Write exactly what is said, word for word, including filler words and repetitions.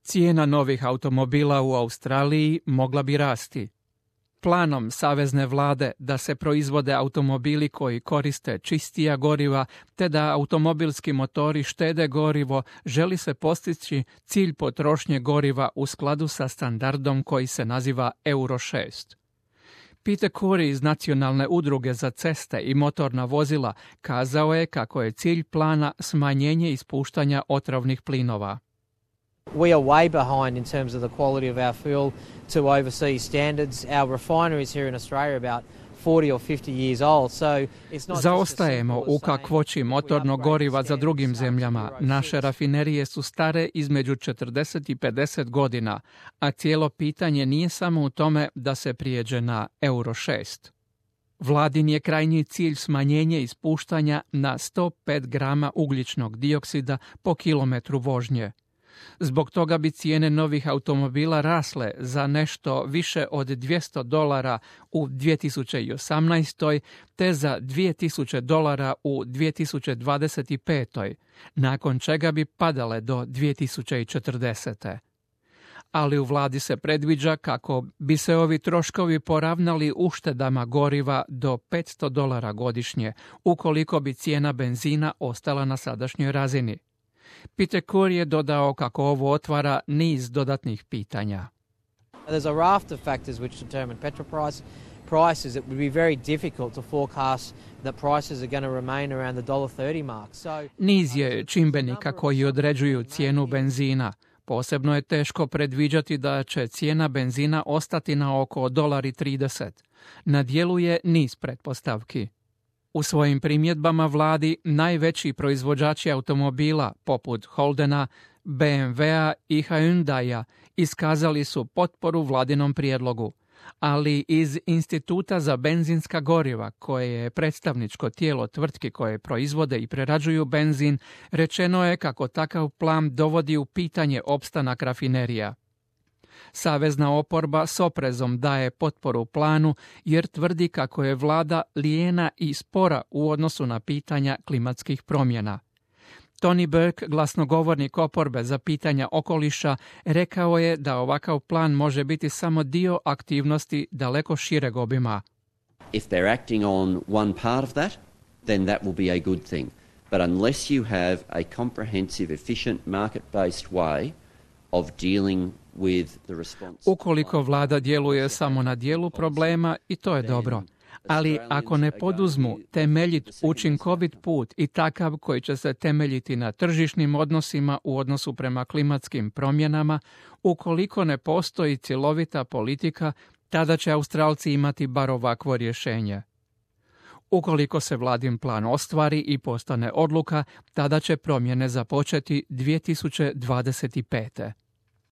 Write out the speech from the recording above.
Cijena novih automobila u Australiji mogla bi rasti. Planom savezne vlade da se proizvode automobili koji koriste čistija goriva te da automobilski motori štede gorivo, želi se postići cilj potrošnje goriva u skladu sa standardom koji se naziva Euro šest. Peter Curry iz Nacionalne udruge za ceste i motorna vozila kazao je kako je cilj plana smanjenje ispuštanja otrovnih plinova. We are way behind in terms of the quality of our fuel to overseas standards. Our refineries here in Australia are about forty or fifty years old. So it's not Zaostajemo u kakvoći motornog goriva za drugim zemljama. Naše rafinerije su stare između četrdeset i pedeset godina, a cijelo pitanje nije samo u tome da se prijeđe na Euro šest. Vladin je krajnji cilj smanjenje ispuštanja na sto pet grama ugljičnog dioksida po kilometru vožnje. Zbog toga bi cijene novih automobila rasle za nešto više od dvjesto dolara u dvije tisuće osamnaestoj te za dvije tisuće dolara u dvije tisuće dvadeset petoj, nakon čega bi padale do dvije tisuće četrdesete. Ali u vladi se predviđa kako bi se ovi troškovi poravnali uštedama goriva do petsto dolara godišnje, ukoliko bi cijena benzina ostala na sadašnjoj razini. Peter Curry je dodao kako ovo otvara niz dodatnih pitanja. There's a raft of factors which determine petrol price. Prices, it would be very difficult to forecast that prices are going to remain around the one thirty mark. So Niz je čimbenika koji određuju cijenu benzina. Posebno je teško predviđati da će cijena benzina ostati na oko jedan zarez trideset. Na djelu je niz pretpostavki. U svojim primjedbama vladi najveći proizvođači automobila poput Holdena, B M W-a i Hyundai-a iskazali su potporu vladinom prijedlogu, ali iz Instituta za benzinska goriva, koje je predstavničko tijelo tvrtki koje proizvode i prerađuju benzin, rečeno je kako takav plan dovodi u pitanje opstanak rafinerija. Savezna oporba s oprezom daje potporu planu jer tvrdi kako je vlada lijena i spora u odnosu na pitanja klimatskih promjena. Tony Burke, glasnogovornik oporbe za pitanja okoliša, rekao je da ovakav plan može biti samo dio aktivnosti daleko šireg obima. If they're acting on one part of that, then that will be a good thing. But unless you have a comprehensive, efficient, market-based way of dealing with the response. Ukoliko vlada djeluje samo na dijelu problema, i to je dobro. Ali ako ne poduzmu temeljit, učinkovit put i takav koji će se temeljiti na tržišnim odnosima u odnosu prema klimatskim promjenama, ukoliko ne postoji cjelovita politika, tada će Australci imati bar ovakvo rješenje. Ukoliko se vladin plan ostvari i postane odluka, tada će promjene započeti dvije tisuće dvadeset pete.